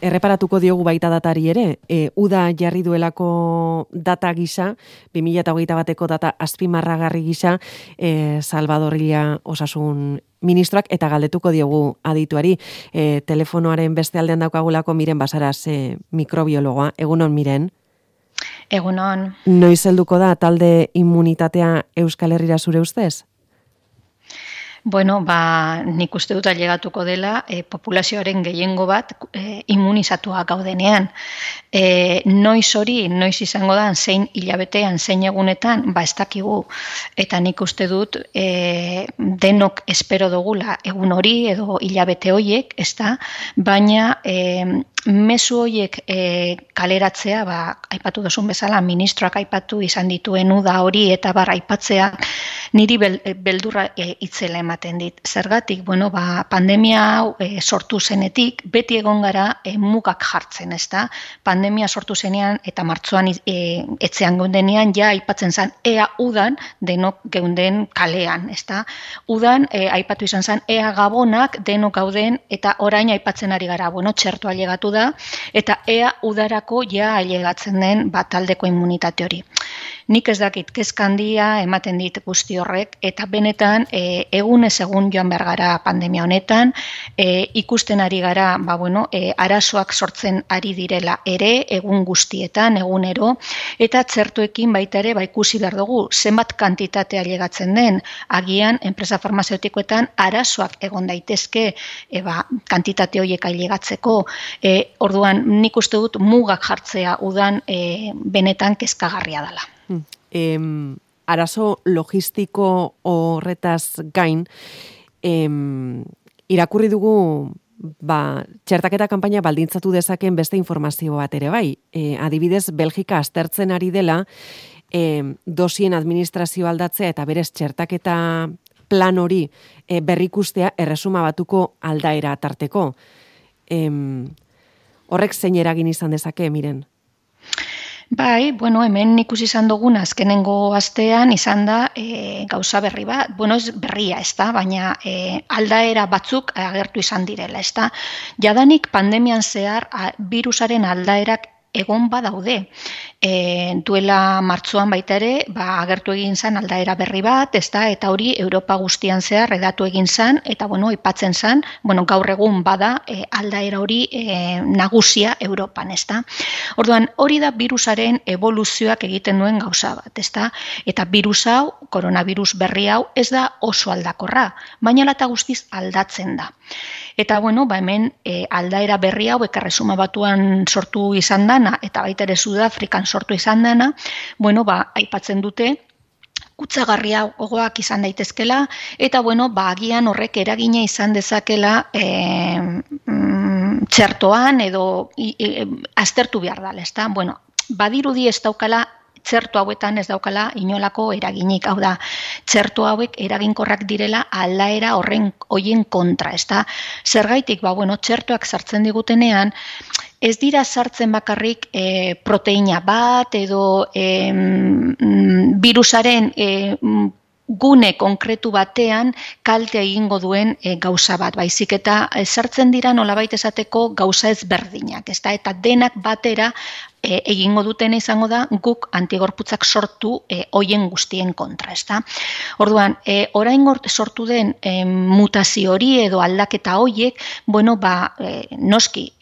Erreparatuko diogu baita datari ere, uda jarri duelako data gisa, 2021eko data azpimarragarri gisa, Salvadorilla osasun ministroak, eta galdetuko diogu adituari, telefonoaren beste aldean daukagulako Miren Basaras, mikrobiologoa. Egunon, Miren? Egunon. Noiz helduko da talde immunitatea Euskal Herrira zure ustez? Bueno, nik uste dut ailegatuko dela populazioaren gehiengo bat immunizatua gaudenean. Noiz izango da, zein hilabetean, zein egunetan, ez dakigu. Eta nik uste dut denok espero dugula egun hori edo hilabete horiek, ezta? Baina mezu horiek kaleratzea, aipatu duzun bezala, ministroak aipatu izan dituen uda hori eta aipatzea, niri beldurra itzela ematen dit. Zergatik, pandemia hau sortu zenetik, beti egon gara mugak jartzen, ezta? Pandemia sortu zenean eta martxoan etxean geundenean, ja aipatzen zen, ea udan denok geunden kalean, ezta? Udan aipatu izan zen, ea gabonak denok gauden, eta orain aipatzen ari gara, txertoa ailegatu da, eta ea udarako ja ailegatzen den taldeko immunitate hori. Nik ez dakit, kezka handia ematen dit guzti horrek, eta benetan egunez egun joan behar gara pandemia honetan, ikusten ari gara, arazoak sortzen ari direla ere, egun guztietan, egunero, eta txertuekin baita ere, ikusi behar dugu, zenbat kantitatea ailegatzen den, agian, enpresa farmazeutikoetan arazoak egon daitezke, kantitate horiek ailegatzeko, orduan, nik uste dut mugak jartzea udan benetan kezkagarria dela. Arazo logistiko horretaz gain, irakurri dugu txertaketa kanpaina baldintzatu dezaken beste informazio bat ere bai. Adibidez, Belgika aztertzen ari dela dosien administrazio aldatzea eta berez txertaketa plan hori berrikustea erresuma batuko aldaera tarteko. Horrek zein eragin izan dezake, Miren? Hemen ikusi izan dugun azkenengo astean izan da gauza berri bat, ez berria, ez da, baina aldaera batzuk agertu izan direla, ez da. Jadanik pandemian zehar virusaren aldaerak egon badaude. Duela martxoan baita ere, agertu egin zen aldaera berri bat, eta hori Europa guztian zehar redatu egin zen, eta aipatzen zen, gaur egun bada aldaera hori nagusia Europan, Orduan, hori da virusaren evoluzioak egiten duen gauza bat, Eta virus hau, koronavirus berri hau, ez da oso aldakorra, baina lata guztiz aldatzen da. Eta, hemen aldaera berri hau, Erresuma Batuan sortu izan dana, eta baita ere Sudafrikan sortu izan dana, aipatzen dute, kutsagarria gogoak izan daitezkela, eta, agian horrek eragina izan dezakela txertoan edo aztertu behar dala, ezta? Badirudi ez daukala, txerto hauetan ez daukala inolako eraginik, hau da, txerto hauek eraginkorrak direla aldaera horien kontra, ezta? Zergaitik, txertoak sartzen digutenean, ez dira sartzen bakarrik proteina bat edo virusaren gune konkretu batean kalte egingo duen gauza bat, baizik eta sartzen dira nolabait esateko gauza ezberdinak, eta denak batera egingo dutena izango da guk antigorputzak sortu hoien guztien kontra, ezta? Orduan, orain sortu den mutazio hori edo aldaketa hoiek, noski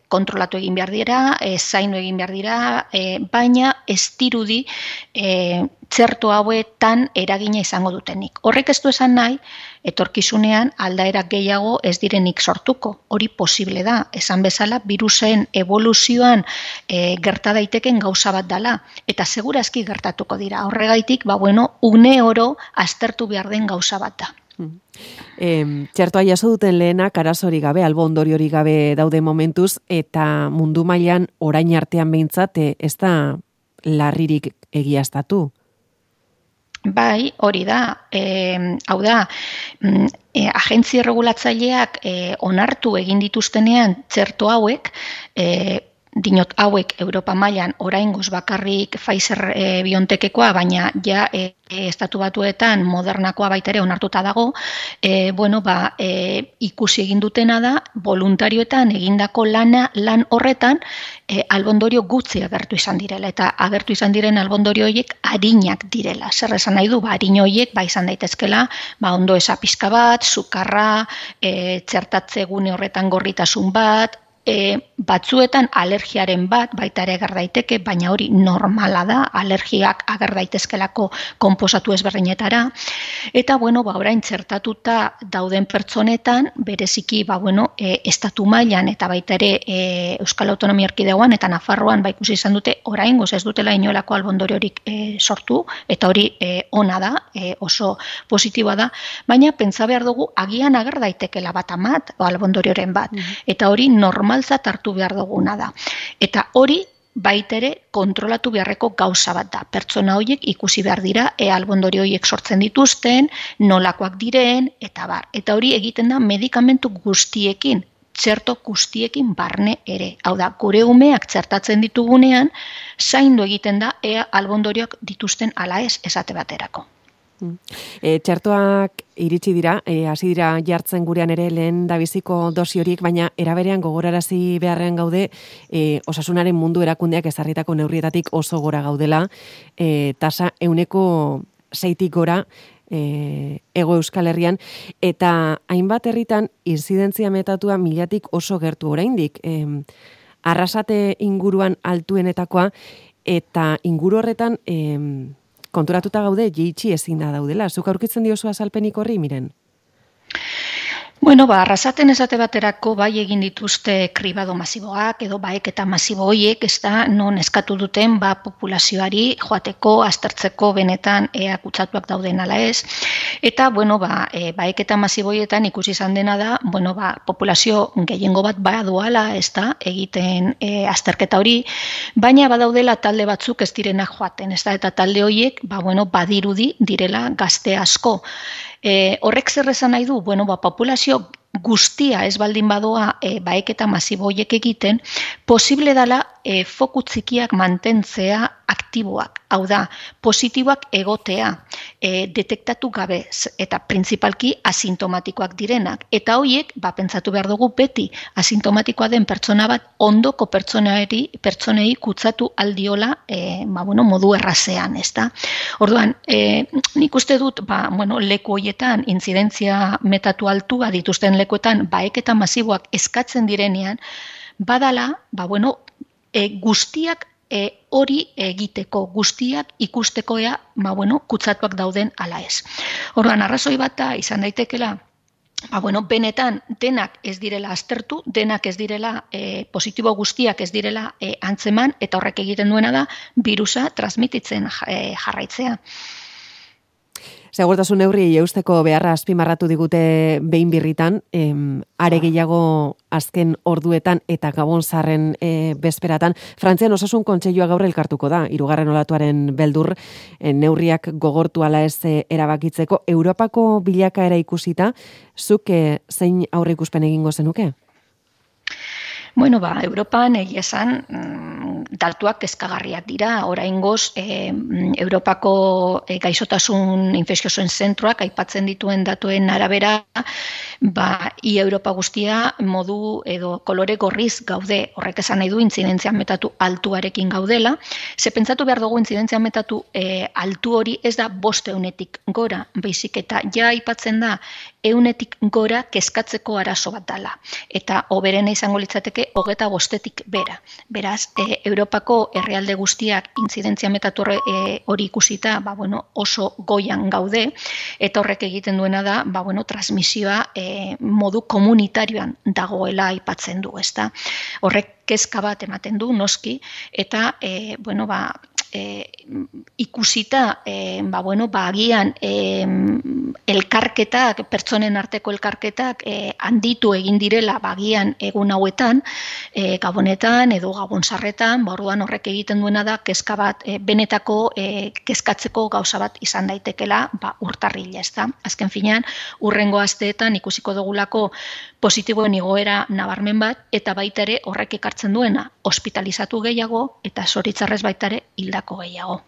kontrolatu egin behar dira, zaindu egin behar dira, baina ez dirudi txerto hauetan eragina izango dutenik. Horrek ez du esan nahi, etorkizunean aldaerak gehiago ez direnik sortuko. Hori posible da. Esan bezala, virusen evoluzioan gerta daiteken gauza bat dela. Eta segurazki gertatuko dira. Horregaitik, une oro aztertu behar den gauza bat da. Txertoa jaso duten lehenak arazorik gabe, albo ondoriorik gabe daude momentuz, eta mundu mailan orain artean behintzat ez da larririk egiaztatu. Bai, hori da. Hau da, agentzi regulatzaileak onartu egin dituztenean txerto hauek, dinot hauek Europa mailan oraingoz bakarrik Pfizer BioNTechekoa, baina ja estatu batuetan Modernakoa baita ere onartuta dago, ikusi egin dutena da voluntarioetan egindako lan horretan albondorio gutxi agertu izan direla, eta agertu izan diren albondorio horiek arinak direla. Zer esan nahi du, arin horiek izan daitezkela, ondo eza pizka bat, sukarra, txertatze gune horretan gorritasun bat, batzuetan alergiaren bat baita ere ager daiteke, baina hori normala da, alergiak ager daitezkelako konposatu ezberdinetara, eta orain txertatuta dauden pertsonetan, bereziki estatu mailan eta baita ere Euskal Autonomia Erkidegoan eta Nafarroan ikusi izan dute oraingoz ez dutela inolako albondoriorik sortu, eta hori ona da, oso positiboa da, baina pentsa behar dugu agian ager daitekela bat amat albondorioren bat, eta hori normaltzat hartu behar duguna da. Eta hori baita ere kontrolatu beharreko gauza bat da. Pertsona horiek ikusi behar dira, albondorio horiek sortzen dituzten, nolakoak diren, eta bar. Eta hori egiten da medikamentu guztiekin, txerto guztiekin barne ere. Hau da, gure umeak txertatzen ditugunean, zaindu egiten da albondorioak dituzten ala ez esate baterako. Txertoak iritsi dira, hasi dira jartzen gurean ere lehen dabiziko dosi horiek, baina eraberean gogorarazi beharrean gaude osasunaren mundu erakundeak ezarritako neurrietatik oso gora gaudela, tasa 6% gora Hego Euskal Herrian, eta hainbat herritan inzidentzia metatua 1000tik oso gertu oraindik. Arrasate inguruan altuenetakoa, eta inguru horretan konturatuta gaude jeitsi ezin da daudela. Zuk aurkitzen diozu azalpenik horri, Miren? Arrasaten esate baterako bai egin dituzte kribado masiboak edo baeketa masibo horiek, ez da non eskatu duten populazioari joateko, aztertzeko benetan kutsatuak dauden ala ez. Eta, baeketa masibo horietan ikusi izan dena da, populazio gehiengo bat baduala, ez da, egiten azterketa hori, baina badaudela talde batzuk ez direna joaten, ez da, eta talde horiek, badirudi direla gazte asko. Horrek zer esan nahi du, populazio guztia ez baldin badoa baeketa masibo horiek egiten, posible dela foku txikiak mantentzea aktiboak. Hau da, positiboak egotea, detektatu gabe, eta printzipalki asintomatikoak direnak. Eta horiek, pentsatu behar dugu beti asintomatikoa den pertsona bat ondoko pertsonei kutsatu aldiola modu errazean, ez da? Orduan, nik uste dut, leku horietan, intzidentzia metatu altua dituzten lekuetan, baeketa masiboak eskatzen direnean, badala, guztiak hori egiteko, guztiak ikusteko kutsatuak dauden ala ez. Orduan, arrazoi bat da izan daitekela, benetan denak ez direla aztertu, denak ez direla positibo guztiak ez direla antzeman, eta horrek egiten duena da birusa transmititzen jarraitzea. Segurtasun neurriei eusteko beharra azpimarratu digute behin birritan, are gehiago azken orduetan eta Gabon zarren bezperatan. Frantzian osasun kontseilua gaur elkartuko da, 3. olatuaren beldur neurriak gogortu ala ez erabakitzeko. Europako bilakaera ikusita, zuk zein aurre ikuspen egingo zenuke? Europan egia esan datuak kezkagarriak dira. Oraingoz, Europako gaixotasun infekziosoen zentroak aipatzen dituen datuen arabera, ia Europa guztia modu edo kolore gorriz gaude. Horrek esan nahi du intzidentzia metatu altuarekin gaudela. Ze pentsatu behar dugu intzidentzia metatu altu hori ez da 500-etik gora, baizik eta ja aipatzen da 100-etik gora kezkatzeko arazo bat dela. Eta hoberena izango litzateke 25-etik bera. Beraz, Europako herrialde guztiak intzidentzia metatu hori ikusita, oso goian gaude, eta horrek egiten duena da, transmisioa modu komunitarioan dagoela aipatzen du, ezta? Horrek kezka bat ematen du, noski, eta, ikusita, agian elkarketak, pertsonen arteko elkarketak handitu egin direla agian egun hauetan, Gabonetan edo Gabon zarretan, orduan horrek egiten duena da kezka bat benetako kezkatzeko gauza bat izan daitekela urtarrila, ezta? Azken finean, hurrengo asteetan ikusiko dugulako positiboen igoera nabarmen bat, eta baita ere horrek ekartzen duena ospitalizatu gehiago, eta zoritzarrez baita ere hildako gehiago.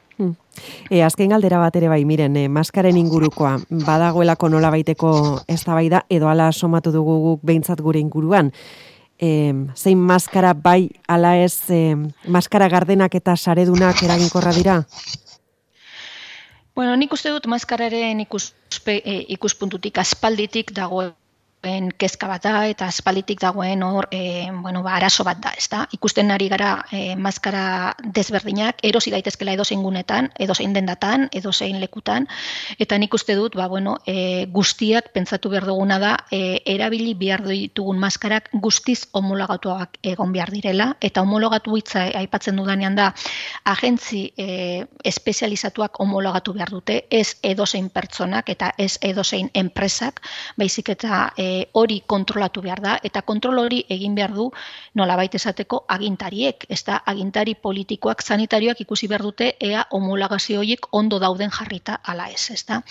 Azken galdera bat ere bai, miren, maskaren ingurukoa, badagoelako nola baiteko eztabaida edo ala somatu dugu guk behintzat gure inguruan. Zein maskara bai ala ez, maskara gardenak eta saredunak eraginkorra dira? Bueno, nik uste dut maskararen ikuspuntutik aspalditik dagoen kezka bat da, eta aspalditik dagoen hor, arazo bat da, ezta? Ikusten ari gara maskara desberdinak, erosi daitezkela edozein gunetan, edozein dendatan, edozein lekutan, eta nik uste dut, guztiak pentsatu behar duguna da, erabili behar ditugun maskarak guztiz homologatuak egon behar direla, eta homologatu hitza aipatzen dudanean da, agentzi espezializatuak homologatu behar dute, ez edozein pertsonak eta ez edozein enpresak, baizik eta hori kontrolatu behar da, eta kontrol hori egin behar du nolabait esateko agintariek, ez da, agintari politikoak, sanitarioak ikusi behar dute ea homologazio horiek ondo dauden jarrita ala ez, ez da.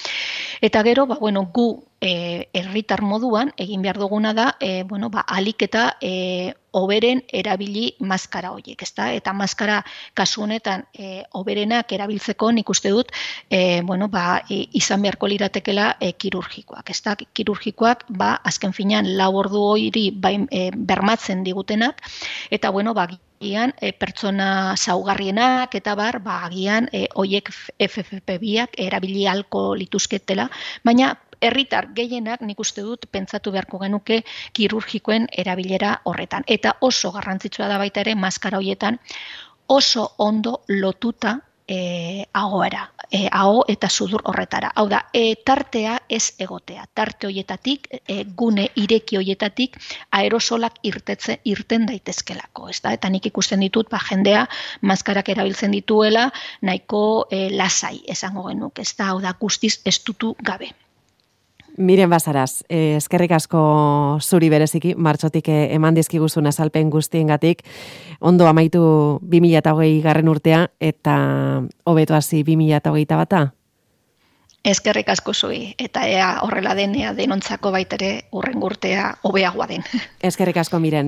Eta gero, gu herritar moduan egin behar duguna da, alik eta hoberen erabili maskara horiek, ezta? Eta maskara kasu honetan hoberenak erabiltzeko nik uste dut, izan beharko liratekela kirurgikoak, ezta? Kirurgikoak, azken finean 4 ordu hori bermatzen digutenak, eta agian pertsona zaugarrienak eta agian hoiek FFP2ak erabili ahalko lituzketela, baina herritar gehienak nik uste dut pentsatu beharko genuke kirurgikoen erabilera horretan. Eta oso garrantzitsua da baita ere maskara horietan oso ondo lotuta ahoera, aho eta sudur horretara. Hau da, tartea ez egotea. Tarte horietatik, gune ireki horietatik aerosolak irten daitezkelako. Eta nik ikusten ditut, jendea maskarak erabiltzen dituela nahiko lasai esango genuk. Hau da, guztiz estutu gabe. Miren Basaras, eskerrik asko zuri bereziki, martxotik eman dizkiguzun azalpen guztiengatik, ondo amaitu 2020 urtea eta hobeto hasi 2021. Eskerrik asko zui, eta ea horrela denea denontzako baitere urrengo urtea hobeagoa den. Eskerrik asko Miren,